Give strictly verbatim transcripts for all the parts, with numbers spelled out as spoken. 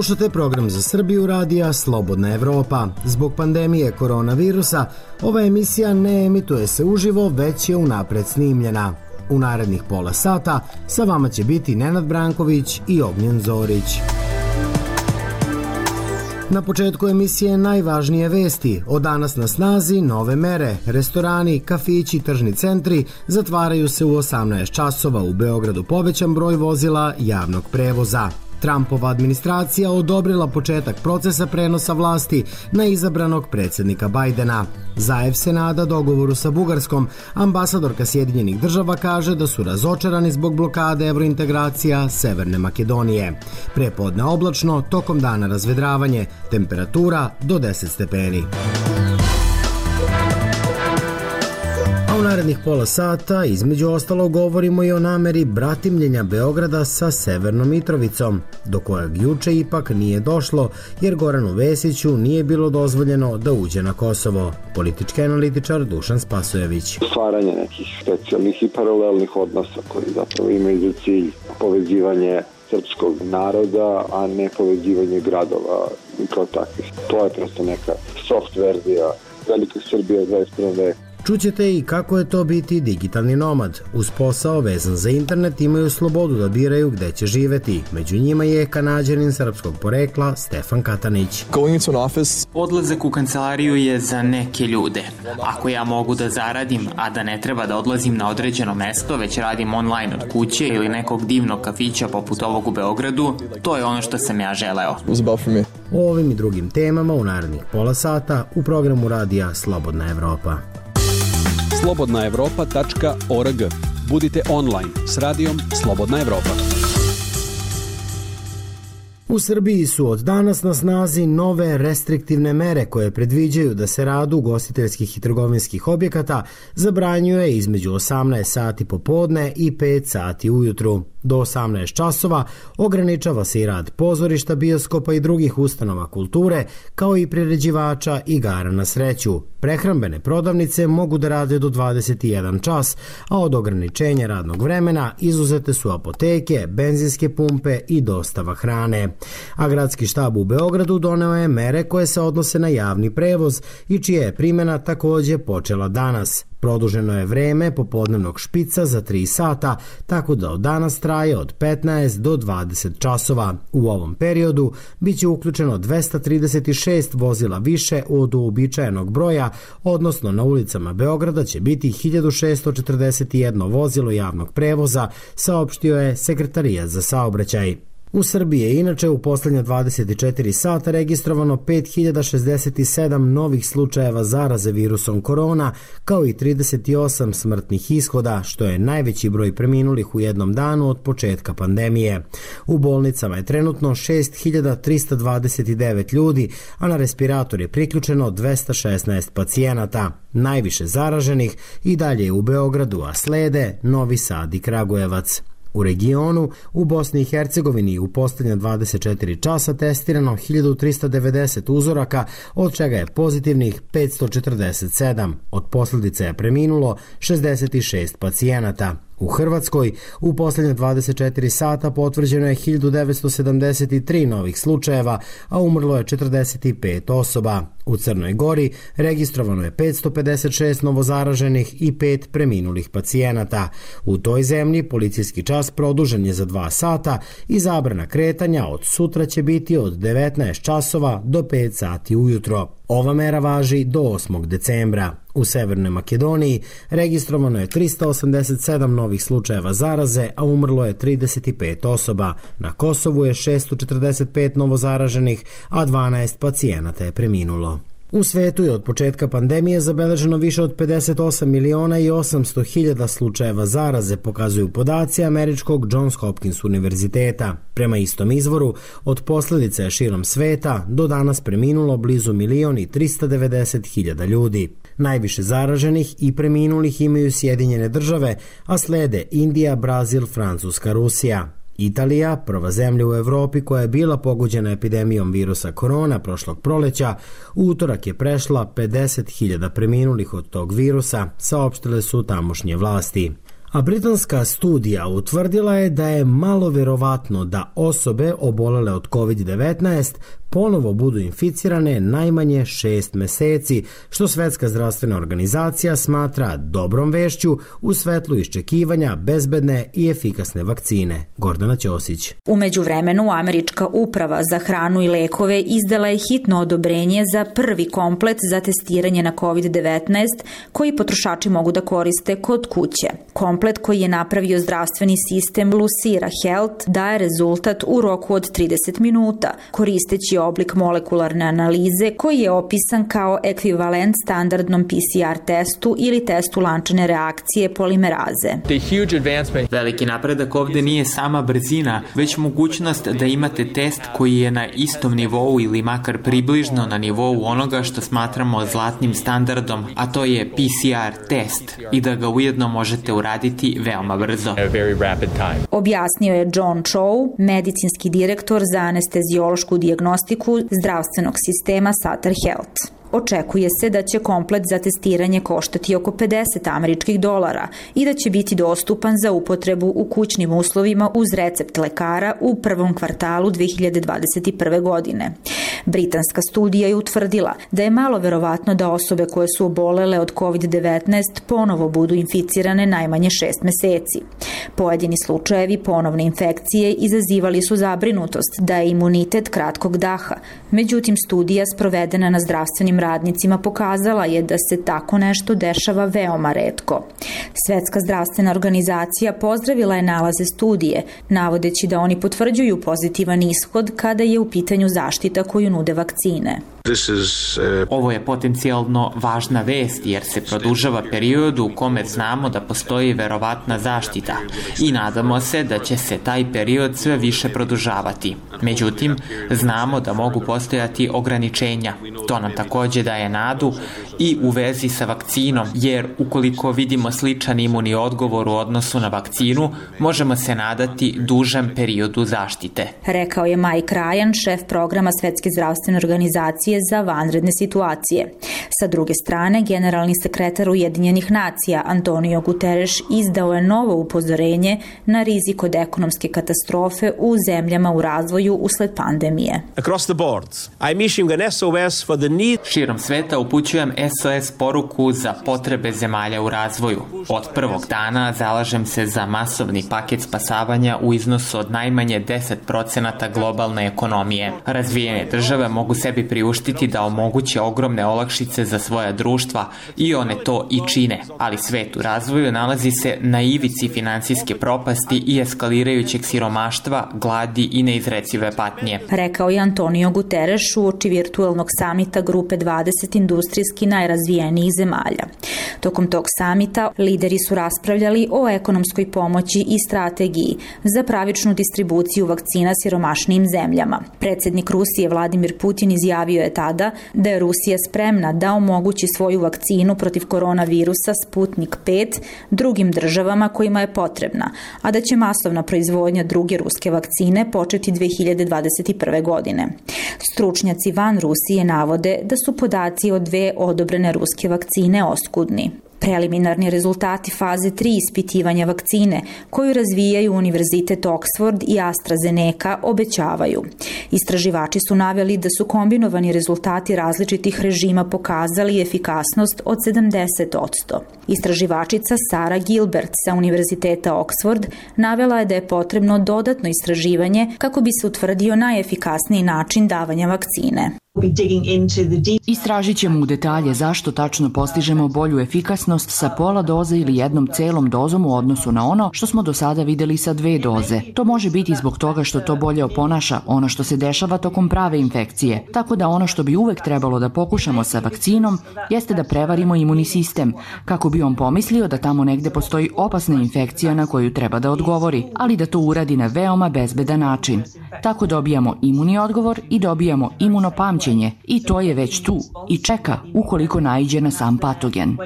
Slušate program za Srbiju radija Slobodna Evropa. Zbog pandemije koronavirusa, ova emisija ne emituje se uživo, već je unapred snimljena. U narednih pola sata sa vama će biti Nenad Branković i Ognjen Zorić. Na početku emisije najvažnije vesti. Od danas na snazi nove mere. Restorani, kafići, tržni centri zatvaraju se u osamnaest časova. U Beogradu povećan broj vozila javnog prevoza. Trumpova administracija odobrila početak procesa prenosa vlasti na izabranog predsjednika Bajdena. Zaev se nada dogovoru sa Bugarskom. Ambasadorka Sjedinjenih država kaže da su razočarani zbog blokade evrointegracija Severne Makedonije. Prepodne oblačno, tokom dana razvedravanje, temperatura do deset stepeni. A u narednih pola sata između ostalog govorimo i o nameri bratimljenja Beograda sa Severnom Mitrovicom, do kojeg juče ipak nije došlo jer Goranu Vesiću nije bilo dozvoljeno da uđe na Kosovo. Politički analitičar Dušan Spasojević. Stvaranje nekih specijalnih i paralelnih odnosa koji zapravo imaju za cilj povezivanje srpskog naroda, a ne povezivanje gradova kao takvih. To je prosto neka soft verzija velike Srbije u dvadeset prvom veku. Čućete i kako je to biti digitalni nomad. Uz posao vezan za internet imaju slobodu da biraju gde će živeti. Među njima je Kanađanin srpskog porekla Stefan Katanić. Odlazak u kancelariju je za neke ljude. Ako ja mogu da zaradim, a da ne treba da odlazim na određeno mesto, već radim online od kuće ili nekog divnog kafića poput ovog u Beogradu, to je ono što sam ja želeo. O ovim i drugim temama u narednih pola sata u programu radija Slobodna Evropa. slobodna evropa tačka org. Budite online s radijom Slobodna Evropa. U Srbiji su od danas na snazi nove restriktivne mere koje predviđaju da se rad ugostiteljskih i trgovinskih objekata zabranjuje između osamnaest sati popodne i pet sati ujutru. Do osamnaest časova ograničava se i rad pozorišta, bioskopa i drugih ustanova kulture, kao i priređivača igara na sreću. Prehrambene prodavnice mogu da rade do dvadeset jedan čas, a od ograničenja radnog vremena izuzete su apoteke, benzinske pumpe i dostava hrane. A gradski štab u Beogradu doneo je mere koje se odnose na javni prevoz i čija je primjena takođe počela danas. Produženo je vreme popodnevnog špica za tri sata, tako da od danas traje od petnaest do dvadeset časova. U ovom periodu biće uključeno dvesta trideset šest vozila više od uobičajenog broja, odnosno na ulicama Beograda će biti hiljadu šessto četrdeset jedno vozilo javnog prevoza, saopštio je Sekretarijat za saobraćaj. U Srbiji je inače u poslednja dvadeset četiri sata registrovano pet hiljada šezdeset sedam novih slučajeva zaraze virusom korona, kao i trideset osam smrtnih ishoda, što je najveći broj preminulih u jednom danu od početka pandemije. U bolnicama je trenutno šest hiljada trista dvadeset devet ljudi, a na respirator je priključeno dvesta šesnaest pacijenata. Najviše zaraženih i dalje je u Beogradu, a slede Novi Sad i Kragujevac. U regionu, u Bosni i Hercegovini u poslednja dvadeset četiri časa testirano hiljadu trista devedeset uzoraka, od čega je pozitivnih petsto četrdeset sedam. Od posljedica je preminulo šezdeset šest pacijenata. U Hrvatskoj u poslednje dvadeset četiri sata potvrđeno je hiljadu devetsto sedamdeset tri novih slučajeva, a umrlo je četrdeset pet osoba. U Crnoj Gori registrovano je petsto pedeset šest novozaraženih i pet preminulih pacijenata. U toj zemlji policijski čas produžen je za dva sata i zabrana kretanja od sutra će biti od devetnaest časova do pet sati ujutro. Ova mera važi do osmog decembra. U Severnoj Makedoniji registrovano je trista osamdeset sedam novih slučajeva zaraze, a umrlo je trideset pet osoba. Na Kosovu je šessto četrdeset pet novozaraženih, a dvanaest pacijenata je preminulo. U svetu je od početka pandemije zabeleženo više od pedeset osam miliona i osamsto hiljada slučajeva zaraze, pokazuju podaci američkog Johns Hopkins univerziteta. Prema istom izvoru, od posljedica je širom sveta do danas preminulo blizu milion i trista devedeset hiljada ljudi. Najviše zaraženih i preminulih imaju Sjedinjene države, a slede Indija, Brazil, Francuska, Rusija. Italija, prva zemlja u Evropi koja je bila pogođena epidemijom virusa korona prošlog proleća, u utorak je prešla pedeset hiljada preminulih od tog virusa, saopštile su tamošnje vlasti. A britanska studija utvrdila je da je malo verovatno da osobe obolele od kovid devetnaest ponovo budu inficirane najmanje šest meseci, što Svetska zdravstvena organizacija smatra dobrom vešću u svetlu iščekivanja bezbedne i efikasne vakcine. Gordana Ćosić. U međuvremenu, Američka uprava za hranu i lekove izdala je hitno odobrenje za prvi komplet za testiranje na kovid devetnaest koji potrošači mogu da koriste kod kuće. Komplet koji je napravio zdravstveni sistem Lucira Health daje rezultat u roku od trideset minuta, koristeći oblik molekularne analize koji je opisan kao ekvivalent standardnom P C R testu ili testu lančane reakcije polimeraze. Veliki napredak ovde nije sama brzina, već mogućnost da imate test koji je na istom nivou ili makar približno na nivou onoga što smatramo zlatnim standardom, a to je P C R test, i da ga ujedno možete uraditi veoma brzo. Objasnio je John Chow, medicinski direktor za anesteziološku dijagnostiku zdravstvenog sistema Sutter Health. Očekuje se da će komplet za testiranje koštati oko pedeset američkih dolara i da će biti dostupan za upotrebu u kućnim uslovima uz recept lekara u prvom kvartalu dve hiljade dvadeset prve. godine. Britanska studija je utvrdila da je malo verovatno da osobe koje su obolele od kovid devetnaest ponovo budu inficirane najmanje šest meseci. Pojedini slučajevi ponovne infekcije izazivali su zabrinutost da je imunitet kratkog daha. Međutim, studija sprovedena na zdravstvenim radnicima pokazala je da se tako nešto dešava veoma retko. Svetska zdravstvena organizacija pozdravila je nalaze studije, navodeći da oni potvrđuju pozitivan ishod kada je u pitanju zaštita koju nude vakcine. Ovo je potencijalno važna vest jer se produžava period u kome znamo da postoji verovatna zaštita i nadamo se da će se taj period sve više produžavati. Međutim, znamo da mogu postojati ograničenja. To nam takođe daje nadu i u vezi sa vakcinom, jer ukoliko vidimo sličan imunni odgovor u odnosu na vakcinu, možemo se nadati dužem periodu zaštite. Rekao je Mike Ryan, šef programa Svetske zdravstvene organizacije za vanredne situacije. Sa druge strane, generalni sekretar Ujedinjenih nacija Antonio Guterres izdao je novo upozorenje na rizik od ekonomske katastrofe u zemljama u razvoju usled pandemije. Across the board, I'm issuing an S O S for the need. Širom sveta upućujem S O S poruku za potrebe zemalja u razvoju. Od prvog dana zalažem se za masovni paket spasavanja u iznosu od najmanje deset procenata globalne ekonomije. Razvijene države mogu sebi priuštiti da omoguće ogromne olakšice za svoja društva i one to i čine, ali svet u razvoju nalazi se na ivici finansijske propasti i eskalirajućeg siromaštva, gladi i neizrecive patnje. Rekao je Antonio Guterres uoči virtuelnog samita Grupe dvadeset industrijski najrazvijenijih zemalja. Tokom tog samita lideri su raspravljali o ekonomskoj pomoći i strategiji za pravičnu distribuciju vakcina siromašnijim zemljama. Predsednik Rusije Vladimir Putin izjavio je tada da je Rusija spremna da omogući svoju vakcinu protiv koronavirusa Sputnik pet drugim državama kojima je potrebna, a da će masovna proizvodnja druge ruske vakcine početi dve hiljade dvadeset prve. godine. Stručnjaci van Rusije navode da su podaci o dve odobrene ruske vakcine oskudni. Preliminarni rezultati faze tri ispitivanja vakcine koju razvijaju Univerzitet Oxford i AstraZeneca obećavaju. Istraživači su naveli da su kombinovani rezultati različitih režima pokazali efikasnost od sedamdeset posto. Istraživačica Sara Gilbert sa Univerziteta Oxford navela je da je potrebno dodatno istraživanje kako bi se utvrdio najefikasniji način davanja vakcine. Istražit ćemo u detalje zašto tačno postižemo bolju efikasnost sa pola doze ili jednom celom dozom u odnosu na ono što smo do sada videli sa dve doze. To može biti zbog toga što to bolje oponaša ono što se dešava tokom prave infekcije. Tako da ono što bi uvek trebalo da pokušamo sa vakcinom jeste da prevarimo imunni sistem, kako bi on pomislio da tamo negde postoji opasna infekcija na koju treba da odgovori, ali da to uradi na veoma bezbedan način. Tako dobijamo imunni odgovor i dobijamo imunopamćenje pamćenje i to je već tu i čeka ukoliko naiđe na sam patogen.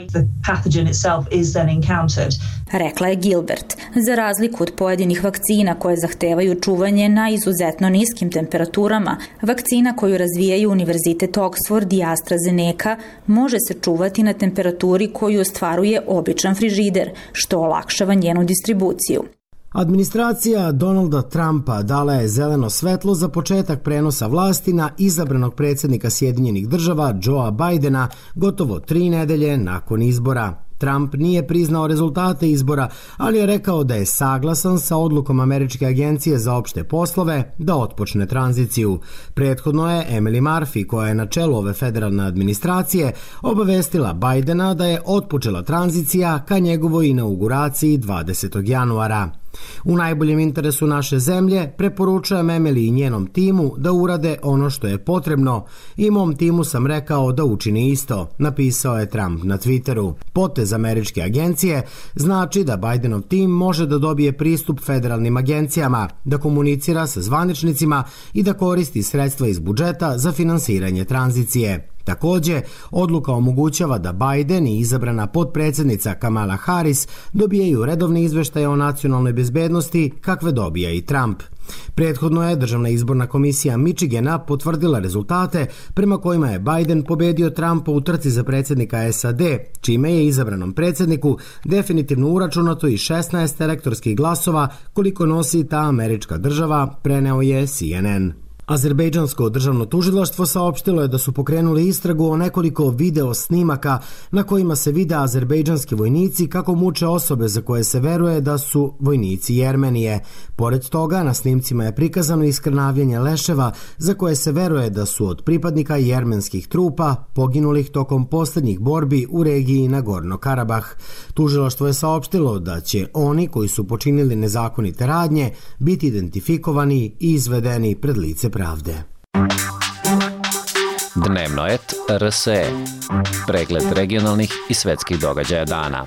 Rekla je Gilbert. Za razliku od pojedinih vakcina koje zahtevaju čuvanje na izuzetno niskim temperaturama, vakcina koju razvijaju Univerzitet Oxford i AstraZeneca može se čuvati na temperaturi koju ostvaruje običan frižider, što olakšava njenu distribuciju. Administracija Donalda Trumpa dala je zeleno svetlo za početak prenosa vlasti na izabranog predsjednika Sjedinjenih država Joea Bidena gotovo tri nedelje nakon izbora. Trump nije priznao rezultate izbora, ali je rekao da je saglasan sa odlukom Američke agencije za opšte poslove da otpočne tranziciju. Prethodno je Emily Murphy, koja je na čelu ove federalne administracije, obavestila Bidena da je otpočela tranzicija ka njegovoj inauguraciji dvadesetog januara. U najboljem interesu naše zemlje preporučujem Emily i njenom timu da urade ono što je potrebno i mom timu sam rekao da učini isto, napisao je Trump na Twitteru. Potez američke agencije znači da Bidenov tim može da dobije pristup federalnim agencijama, da komunicira sa zvaničnicima i da koristi sredstva iz budžeta za finansiranje tranzicije. Takođe, odluka omogućava da Biden i izabrana potpredsjednica Kamala Harris dobijaju redovni izveštaj o nacionalnoj bezbednosti kakve dobija i Trump. Prethodno je Državna izborna komisija Michigana potvrdila rezultate prema kojima je Biden pobedio Trumpa u trci za predsjednika S A D, čime je izabranom predsjedniku definitivno uračunato i šesnaest elektorskih glasova koliko nosi ta američka država, preneo je C N N. Azerbejdžansko državno tužilaštvo saopštilo je da su pokrenuli istragu o nekoliko video snimaka na kojima se vide azerbejdžanski vojnici kako muče osobe za koje se veruje da su vojnici Jermenije. Pored toga, na snimcima je prikazano iskrnavljanje leševa za koje se veruje da su od pripadnika jermenskih trupa poginulih tokom posljednjih borbi u regiji Nagorno Karabah. Tužilaštvo je saopštilo da će oni koji su počinili nezakonite radnje biti identifikovani i izvedeni pred lice pravde. Dnevnoet R S E. Pregled regionalnih i svetskih događaja dana.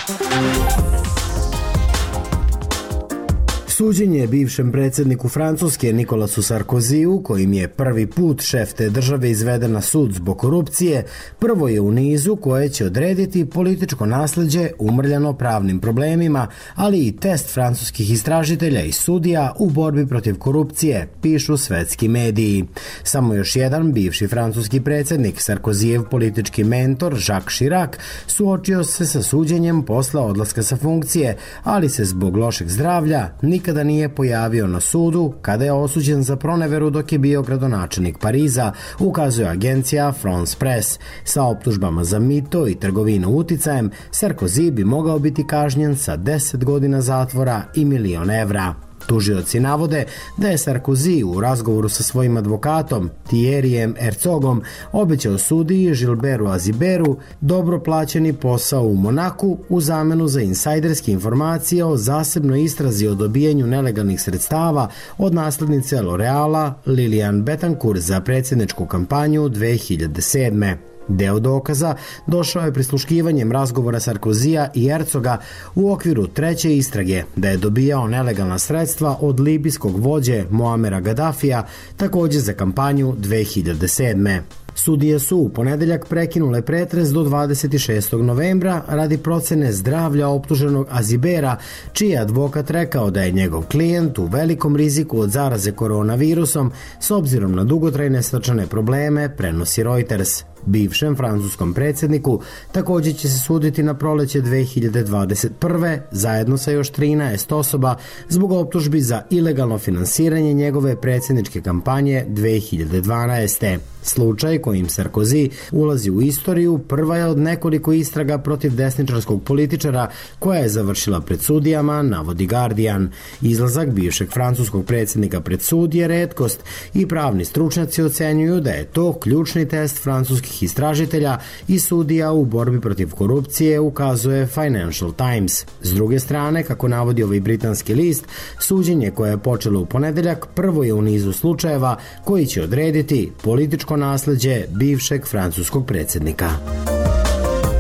Suđenje bivšem predsjedniku Francuske Nikolasu Sarkoziju, kojim je prvi put šef te države izveden na sud zbog korupcije, prvo je u nizu koje će odrediti političko nasleđe umrljano pravnim problemima, ali i test francuskih istražitelja i sudija u borbi protiv korupcije, pišu svetski mediji. Samo još jedan bivši francuski predsjednik, Sarkozijev politički mentor Jacques Chirac, suočio se sa suđenjem posle odlaska sa funkcije, ali se zbog lošeg zdravlja nikada da nije pojavio na sudu kada je osuđen za proneveru dok je bio gradonačelnik Pariza, ukazuje agencija France Press. Sa optužbama za mito i trgovinu uticajem, Sarkozy bi mogao biti kažnjen sa deset godina zatvora i milion evra. Tužioci navode da je Sarkozy u razgovoru sa svojim advokatom Thierryem Herzogom obećao sudiji Gilbertu Aziberu dobro plaćeni posao u Monaku u zamenu za insajderske informacije o zasebnoj istrazi o dobijanju nelegalnih sredstava od naslednice L'Oreala Liliane Bettencourt za predsjedničku kampanju dve hiljade sedme. Deo dokaza došao je prisluškivanjem razgovora Sarkozija i Herzoga u okviru treće istrage da je dobijao nelegalna sredstva od libijskog vođe Moamera Gaddafija, također za kampanju dve hiljade sedme. Sudije su u ponedeljak prekinule pretres do dvadeset šestog novembra radi procene zdravlja optuženog Azibera, čiji je advokat rekao da je njegov klijent u velikom riziku od zaraze koronavirusom s obzirom na dugotrajne srčane probleme, prenosi Reuters. Bivšem francuskom predsjedniku također će se suditi na proleće dve hiljade dvadeset prve zajedno sa još trinaest osoba zbog optužbi za ilegalno finansiranje njegove predsjedničke kampanje dve hiljade dvanaeste. Slučaj kojim Sarkozy ulazi u istoriju prva je od nekoliko istraga protiv desničarskog političara koja je završila pred sudijama, navodi Guardian. Izlazak bivšeg francuskog predsjednika pred sud je retkost i pravni stručnjaci ocenjuju da je to ključni test francuskih istražitelja i sudija u borbi protiv korupcije, ukazuje Financial Times. S druge strane, kako navodi ovaj britanski list, suđenje koje je počelo u ponedeljak prvo je u nizu slučajeva koji će odrediti političko nasleđe bivšeg francuskog predsjednika.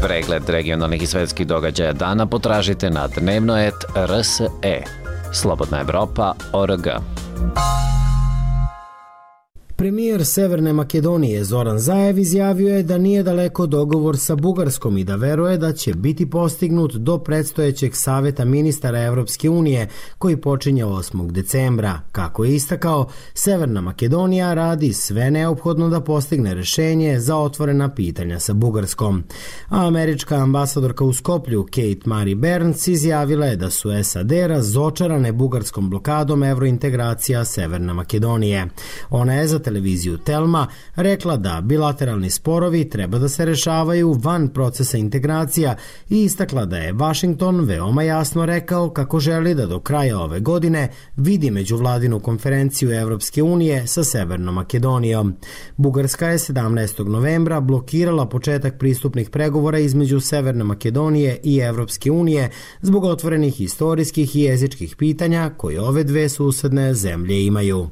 Pregled regionalnih i svetskih događaja dana potražite na dnevnoet R S E. Slobodna Evropa, O R G. Premijer Severne Makedonije Zoran Zaev izjavio je da nije daleko dogovor sa Bugarskom i da veruje da će biti postignut do predstojećeg saveta ministara Evropske unije koji počinje osmog decembra. Kako je istakao, Severna Makedonija radi sve neophodno da postigne rešenje za otvorena pitanja sa Bugarskom. A američka ambasadorka u Skoplju Kate Marie Burns izjavila je da su S A D razočarane bugarskom blokadom evrointegracija Severne Makedonije. Ona je za televiziju Telma rekla da bilateralni sporovi treba da se rešavaju van procesa integracija i istakla da je Vašington veoma jasno rekao kako želi da do kraja ove godine vidi međuvladinu konferenciju Evropske unije sa Severnom Makedonijom. Bugarska je sedamnaestog novembra blokirala početak pristupnih pregovora između Severne Makedonije i Evropske unije zbog otvorenih historijskih i jezičkih pitanja koje ove dve susedne zemlje imaju.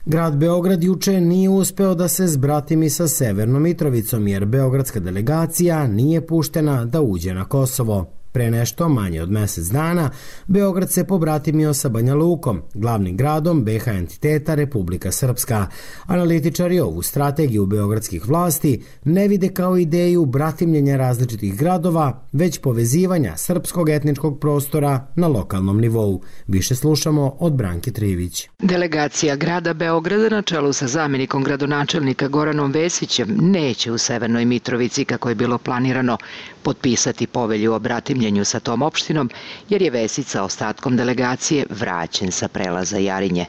Grad Beograd juče nije uspeo da se zbratimi sa Severnom Mitrovicom jer beogradska delegacija nije puštena da uđe na Kosovo. Pre nešto manje od mesec dana, Beograd se pobratimio sa Banja Lukom, glavnim gradom B H entiteta Republika Srpska. Analitičari ovu strategiju beogradskih vlasti ne vide kao ideju bratimljenja različitih gradova, već povezivanja srpskog etničkog prostora na lokalnom nivou. Više slušamo od Branke Trivić. Delegacija grada Beograda na čelu sa zamjenikom gradonačelnika Goranom Vesićem neće u Severnoj Mitrovici, kako je bilo planirano, potpisati povelju o bratimljenju sa tom opštinom, jer je Vesić sa ostatkom delegacije vraćen sa prelaza Jarinje.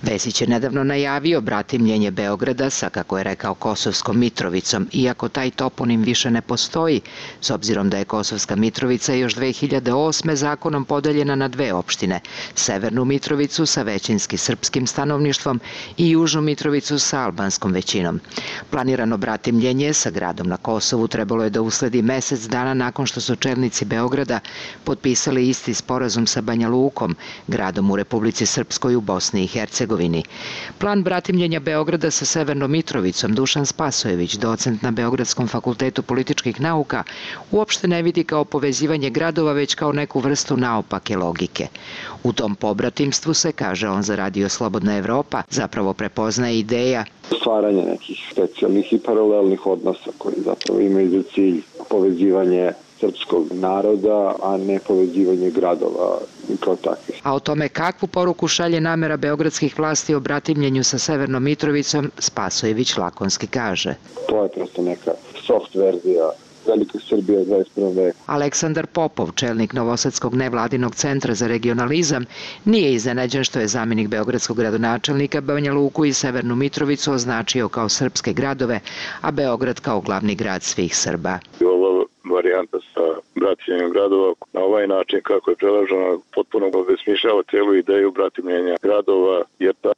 Vesić je nedavno najavio bratimljenje Beograda sa, kako je rekao, Kosovskom Mitrovicom, iako taj toponim više ne postoji, s obzirom da je Kosovska Mitrovica još dve hiljade osme zakonom podeljena na dve opštine, Severnu Mitrovicu sa većinski srpskim stanovništvom i Južnu Mitrovicu sa albanskom većinom. Planirano bratimljenje sa gradom na Kosovu trebalo je da usledi mesec dana nakon što su čelnici Beograda potpisali isti sporazum sa Banja Lukom, gradom u Republici Srpskoj u Bosni i Hercegovini. Plan bratimljenja Beograda sa Severnom Mitrovicom Dušan Spasojević, docent na Beogradskom fakultetu političkih nauka, uopšte ne vidi kao povezivanje gradova, već kao neku vrstu naopake logike. U tom pobratimstvu se, kaže on za Radio Slobodna Evropa, zapravo prepoznaje ideja stvaranje nekih specijalnih i paralelnih odnosa koji zapravo imaju za cilj povezivanje srpskog naroda, a ne povezivanje gradova kao takvih. A o tome kakvu poruku šalje namera beogradskih vlasti o bratimljenju sa Severnom Mitrovicom, Spasojević lakonski kaže. To je prosto neka soft verzija Velike Srbije u dvadeset prvom veku. Aleksandar Popov, čelnik Novosadskog nevladinog centra za regionalizam, nije iznenađen što je zamjenik beogradskog gradonačelnika Banja Luku i Severnu Mitrovicu označio kao srpske gradove, a Beograd kao glavni grad svih Srba. Ova varijanta sa bratimljenjem gradova na ovaj način kako je predloženo potpuno obesmišljava celu ideju bratimljenja gradova, jer ta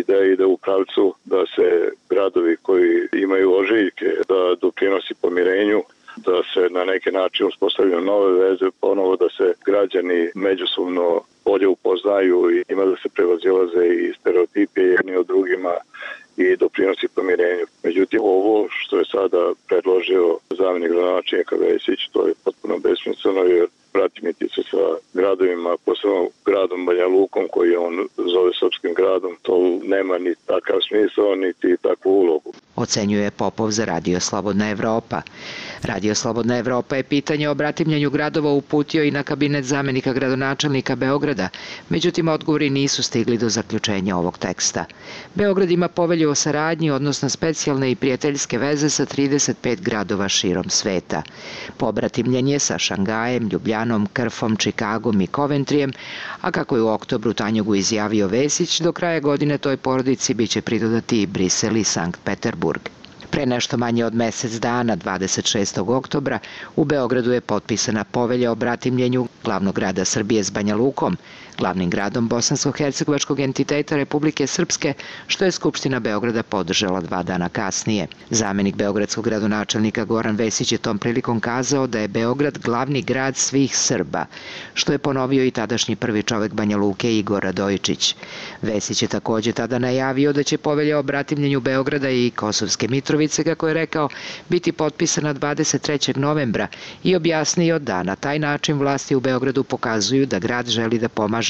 ideja ide u pravcu da se gradovi koji imaju ožiljke da doprinosi pomirenju, da se na neki način uspostavljaju nove veze, ponovo da se građani međusobno bolje upoznaju i ima da se prevazilaze i stereotipe jedni od drugima i doprinosi pomirenju. Međutim, ovo što je sada predložio zamjenik gradonačelnika Vesić, to je potpuno besmisleno, jer bratimiti se sa gradovima, posebno gradom Banja Lukom, koji on zove srpskim gradom, to nema ni takav smisao, niti takvu ulogu. Ocenjuje Popov za Radio Slobodna Evropa. Radio Slobodna Evropa je pitanje o bratimljenju gradova uputio i na kabinet zamjenika gradonačelnika Beograda, međutim odgovori nisu stigli do zaključenja ovog teksta. Beograd ima povelju o saradnji, odnosno specijalne i prijateljske veze sa trideset pet gradova širom sveta. Pobratimljenje sa Šangajem, Ljubljanom, Krfom, Čikagom i Coventrijem, a kako je u oktobru Tanjugu izjavio Vesić, do kraja godine toj porodici biće pridodati i Brisel i Sankt Peterburg. Pre nešto manje od mesec dana, dvadeset šestog oktobra, u Beogradu je potpisana povelja o bratimljenju glavnog grada Srbije s Banja Lukom, glavnim gradom bosansko-hercegovačkog entiteta Republike Srpske, što je Skupština Beograda podržala dva dana kasnije. Zamjenik beogradskog gradonačelnika Goran Vesić je tom prilikom kazao da je Beograd glavni grad svih Srba, što je ponovio i tadašnji prvi čovek Banja Luke Igor Radojičić. Vesić je takođe tada najavio da će povelja o bratimljenju Beograda i Kosovske Mitrovice, kako je rekao, biti potpisana dvadeset trećeg novembra i objasnio da na taj način vlasti u Beogradu pokazuju da grad želi da pomaže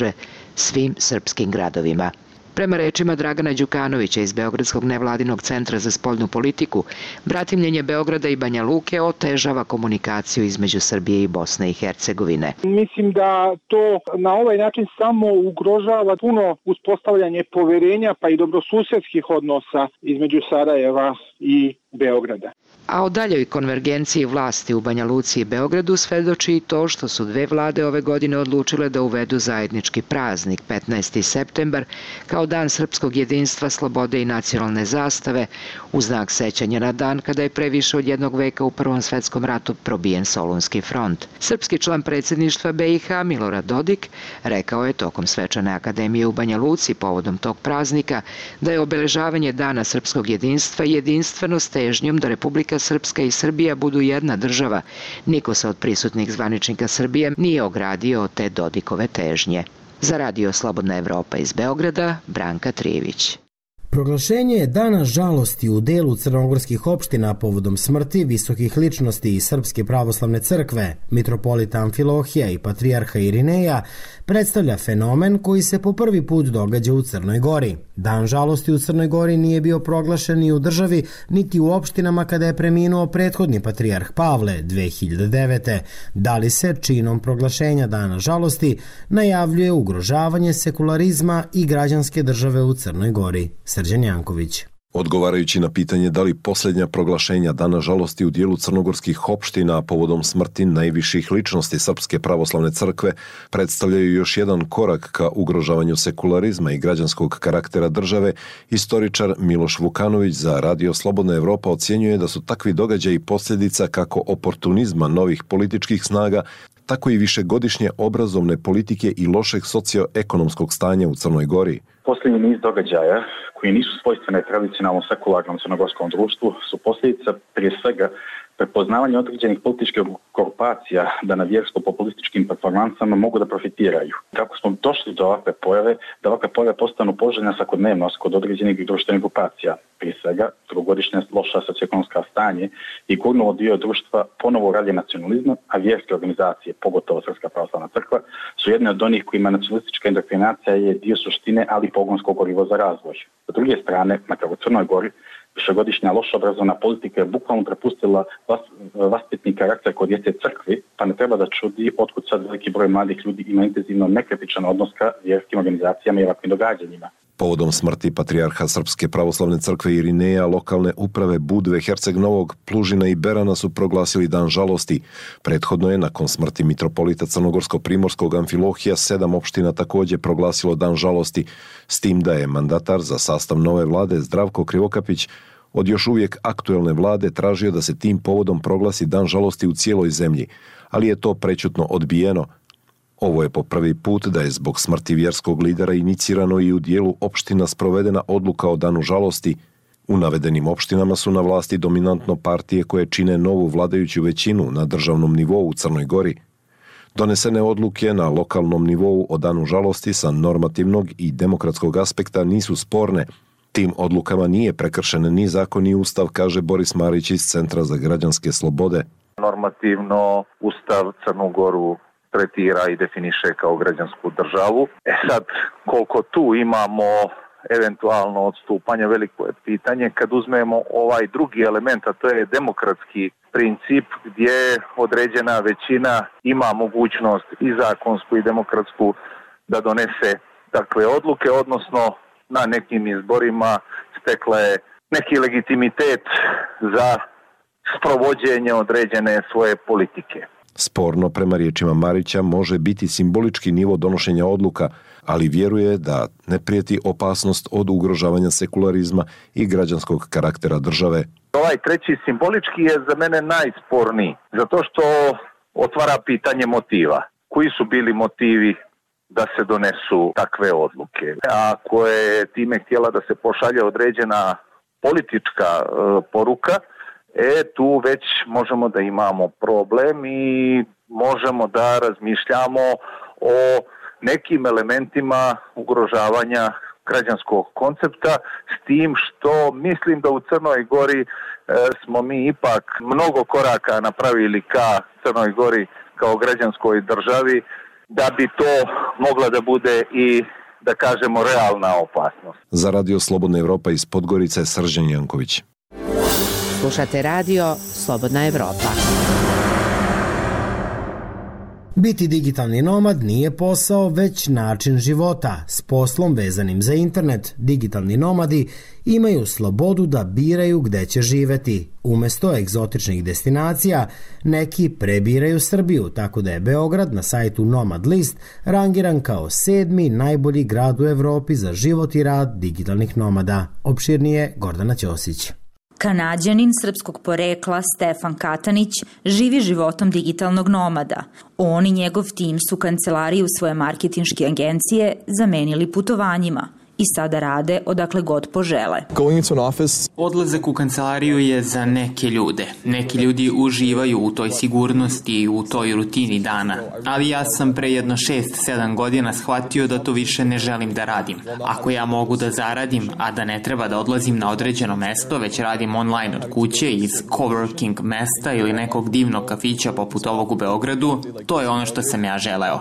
svim srpskim gradovima. Prema rečima Dragana Đukanovića iz Beogradskog nevladinog centra za spoljnu politiku, bratimljenje Beograda i Banja Luke otežava komunikaciju između Srbije i Bosne i Hercegovine. Mislim da to na ovaj način samo ugrožava puno uspostavljanje poverenja pa i dobrosusedskih odnosa između Sarajeva i Beograda. A o daljoj konvergenciji vlasti u Banja Luci i Beogradu svedoči i to što su dve vlade ove godine odlučile da uvedu zajednički praznik petnaesti septembar kao dan srpskog jedinstva, slobode i nacionalne zastave u znak sećanja na dan kada je pre više od jednog veka u Prvom svetskom ratu probijen Solunski front. Srpski član predsjedništva B i H Milorad Dodik rekao je tokom svečane akademije u Banja Luci povodom tog praznika da je obeležavanje dana srpskog jedinstva jedinstveno s težnjom da Republika Srpska i Srbija budu jedna država. Niko se od prisutnih zvaničnika Srbije nije ogradio od te Dodikove težnje. Za Radio Slobodna Evropa iz Beograda, Branka Trijević. Proglašenje Dana žalosti u delu crnogorskih opština povodom smrti visokih ličnosti iz Srpske pravoslavne crkve, mitropolita Amfilohija i patrijarha Irineja, predstavlja fenomen koji se po prvi put događa u Crnoj Gori. Dan žalosti u Crnoj Gori nije bio proglašen ni u državi, niti u opštinama kada je preminuo prethodni patrijarh Pavle dve hiljade devete. Da li se činom proglašenja Dana žalosti najavljuje ugrožavanje sekularizma i građanske države u Crnoj Gori? Srđan Janković. Odgovarajući na pitanje da li posljednja proglašenja Dana žalosti u dijelu crnogorskih opština povodom smrti najviših ličnosti Srpske pravoslavne crkve predstavljaju još jedan korak ka ugrožavanju sekularizma i građanskog karaktera države, historičar Miloš Vukanović za Radio Slobodna Evropa ocjenjuje da su takvi događaji posljedica kako oportunizma novih političkih snaga, tako i višegodišnje obrazovne politike i lošeg socioekonomskog stanja u Crnoj Gori. Posljednji niz događaja koji nisu svojstvene tradicionalnom sekularnom crnogorskom društvu su posljedica prije svega prepoznavanje određenih političkih grupacija da na vjersko-populističkim performansama mogu da profitiraju. Kako smo došli do ovakve pojave, da ovakve pojave postanu poželjna svakodnevnost kod određenih društvenih grupacija. Prije svega, trogodišnje loša socioekonomska stanje i gurnulo dio društva ponovo ralje nacionalizma, a vjerske organizacije, pogotovo Srpska pravoslavna crkva, su jedne od onih kojima nacionalistička indoktrinacija je dio suštine, ali i pogonsko gorivo za razvoj. S druge strane, makar u Crnoj Gori, višegodišnja loša obrazovna politika je bukvalno prepustila vas, vaspitni karakter kod djece crkvi, pa ne treba da čudi otkud sad veliki broj mladih ljudi ima intenzivno nekritičan odnos ka vjerskim organizacijama i ovakvim događanjima. Povodom smrti patrijarha Srpske pravoslavne crkve Irineja, lokalne uprave Budve, Herceg Novog, Plužina i Berana su proglasili dan žalosti. Prethodno je, nakon smrti mitropolita Crnogorsko-Primorskog Amfilohija, sedam opština također proglasilo dan žalosti, s tim da je mandatar za sastav nove vlade Zdravko Krivokapić od još uvijek aktuelne vlade tražio da se tim povodom proglasi dan žalosti u cijeloj zemlji, ali je to prećutno odbijeno. Ovo je po prvi put da je zbog smrti vjerskog lidera inicirano i u dijelu opština sprovedena odluka o danu žalosti. U navedenim opštinama su na vlasti dominantno partije koje čine novu vladajuću većinu na državnom nivou u Crnoj Gori. Donesene odluke na lokalnom nivou o danu žalosti sa normativnog i demokratskog aspekta nisu sporne. Tim odlukama nije prekršen ni zakon ni ustav, kaže Boris Marić iz Centra za građanske slobode. Normativno ustav Crnu Goru tretira i definiše kao građansku državu. E sad, koliko tu imamo eventualno odstupanje, veliko je pitanje. Kad uzmemo ovaj drugi element, a to je demokratski princip gdje određena većina ima mogućnost i zakonsku i demokratsku da donese takve odluke, odnosno na nekim izborima stekla je neki legitimitet za sprovođenje određene svoje politike. Sporno, prema riječima Marića, može biti simbolički nivo donošenja odluka, ali vjeruje da ne prijeti opasnost od ugrožavanja sekularizma i građanskog karaktera države. Ovaj treći simbolički je za mene najsporniji, zato što otvara pitanje motiva. Koji su bili motivi da se donesu takve odluke? Ako je time htjela da se pošalje određena politička e, poruka, E, tu već možemo da imamo problem i možemo da razmišljamo o nekim elementima ugrožavanja građanskog koncepta, s tim što mislim da u Crnoj Gori e, smo mi ipak mnogo koraka napravili ka Crnoj Gori kao građanskoj državi, da bi to mogla da bude i da kažemo, realna opasnost. Za Radio Slobodna Evropa iz Podgorice, Srđan Janković. Slušate radio Slobodna Evropa. Biti digitalni nomad nije posao, već način života. S poslom vezanim za internet, digitalni nomadi imaju slobodu da biraju gde će živeti. Umesto egzotičnih destinacija, neki prebiraju Srbiju, tako da je Beograd na sajtu Nomad List rangiran kao sedmi najbolji grad u Evropi za život i rad digitalnih nomada. Opširnije Gordana Ćosić. Kanađanin srpskog porekla Stefan Katanić živi životom digitalnog nomada. On i njegov tim su kancelariju svoje marketinške agencije zamenili putovanjima i sada rade odakle god požele. Odlazak u kancelariju je za neke ljude. Neki ljudi uživaju u toj sigurnosti i u toj rutini dana. Ali ja sam pre jedno šest sedam godina shvatio da to više ne želim da radim. Ako ja mogu da zaradim, a da ne treba da odlazim na određeno mesto, već radim online od kuće iz coworking mesta ili nekog divnog kafića poput ovog u Beogradu, to je ono što sam ja želeo.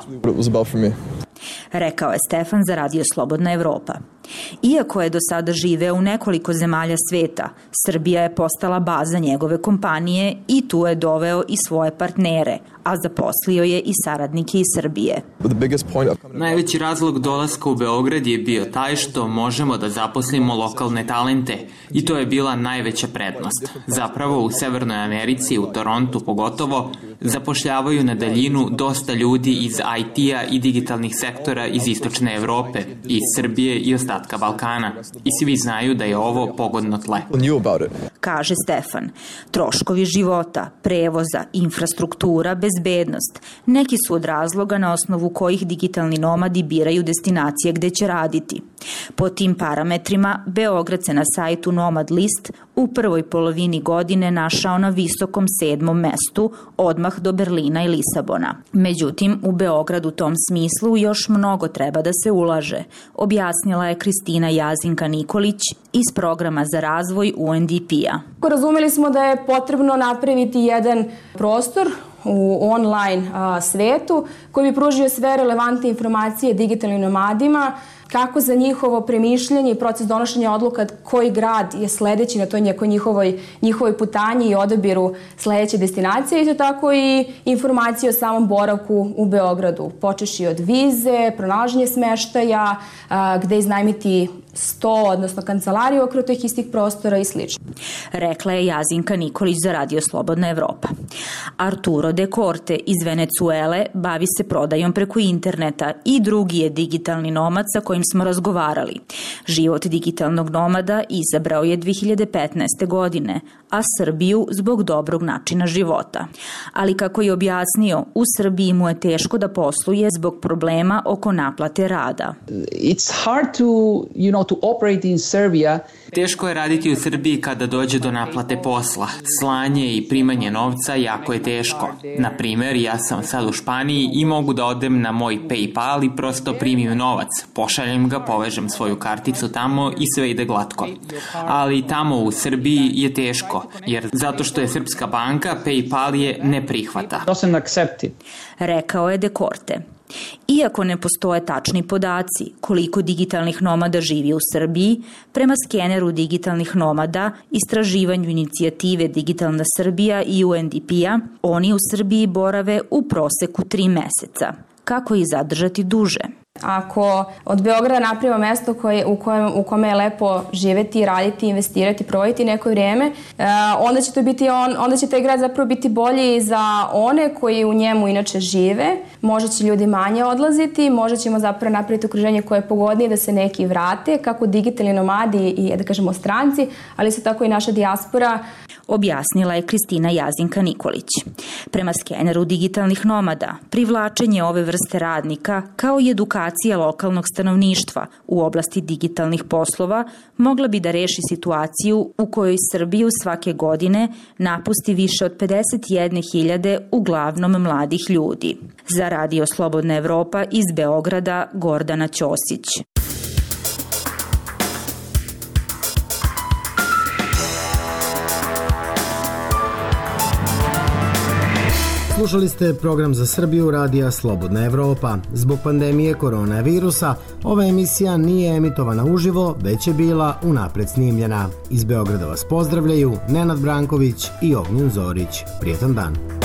Rekao je Stefan za Radio Slobodna Evropa. Iako je do sada živeo u nekoliko zemalja sveta, Srbija je postala baza njegove kompanije i tu je doveo i svoje partnere, a zaposlio je i saradnike iz Srbije. Najveći razlog dolaska u Beograd je bio taj što možemo da zaposlimo lokalne talente i to je bila najveća prednost. Zapravo u Severnoj Americi, u Torontu pogotovo, zapošljavaju na daljinu dosta ljudi iz I T-a i digitalnih sektora iz Istočne Evrope, iz Srbije i ostatka Balkana. I svi znaju da je ovo pogodno tle. Kaže Stefan, troškovi života, prevoza, infrastruktura, bezbednost, neki su od razloga na osnovu kojih digitalni nomadi biraju destinacije gde će raditi. Po tim parametrima, Beograd se na sajtu Nomad List u prvoj polovini godine našao na visokom sedmom mestu, odmah do Berlina i Lisabona. Međutim, u Beogradu u tom smislu još mnogo treba da se ulaže, objasnila je Kristina Jazinka Nikolić iz programa za razvoj U N D P-a. Razumeli smo da je potrebno napraviti jedan prostor u online a, svetu koji bi pružio sve relevantne informacije digitalnim nomadima, kako za njihovo premišljanje i proces donošenja odluka koji grad je sledeći na toj njihovoj, njihovoj putanji i odabiru sledeće destinacije, isto tako i informacije o samom boravku u Beogradu, počeši od vize, pronalaženje smeštaja, a, gde iznajmiti sto, odnosno kancelariju okolo tih istih prostora i slično. Rekla je Jazinka Nikolić za Radio Slobodna Evropa. Arturo de Corte iz Venecuele bavi se prodajom preko interneta i drugi je digitalni nomad sa kojim smo razgovarali. Život digitalnog nomada izabrao je dve hiljade petnaeste. godine, a Srbiju zbog dobrog načina života. Ali kako je objasnio, u Srbiji mu je teško da posluje zbog problema oko naplate rada. It's hard to, you know, to operate in Serbia. Teško je raditi u Srbiji kada dođe do naplate posla. Slanje i primanje novca jako je teško. Na primer, ja sam sad u Španiji i mogu da odem na moj PayPal i prosto primim novac. Pošaljem ga, povežem svoju karticu tamo i sve ide glatko. Ali tamo u Srbiji je teško, jer zato što je srpska banka, PayPal je ne prihvata. Rekao je de Corte. Iako ne postoje tačni podaci koliko digitalnih nomada živi u Srbiji, prema skeneru digitalnih nomada, istraživanju inicijative Digitalna Srbija i U N D P-a, oni u Srbiji borave u proseku tri meseca. Kako ih zadržati duže? Ako od Beograda napravimo mesto koje, u, kojem, u kome je lepo živeti, raditi, investirati, provoditi neko vrijeme, onda će, to biti on, onda će taj grad zapravo biti bolji za one koji u njemu inače žive. Možda će ljudi manje odlaziti, možda ćemo zapravo napraviti okruženje koje je pogodnije da se neki vrate, kako digitalni nomadi i, da kažemo, stranci, ali isto tako i naša dijaspora. Objasnila je Kristina Jazinka Nikolić. Prema skeneru digitalnih nomada, privlačenje ove vrste radnika kao i edukacija lokalnog stanovništva u oblasti digitalnih poslova mogla bi da reši situaciju u kojoj Srbiju svake godine napusti više od pedeset jedne hiljade uglavnom mladih ljudi. Za Radio Slobodna Evropa iz Beograda, Gordana Ćosić. Slušali ste program za Srbiju radija Slobodna Evropa. Zbog pandemije koronavirusa ova emisija nije emitovana uživo, već je bila unapred snimljena. Iz Beograda vas pozdravljaju Nenad Branković i Ognjen Zorić. Prijetan dan.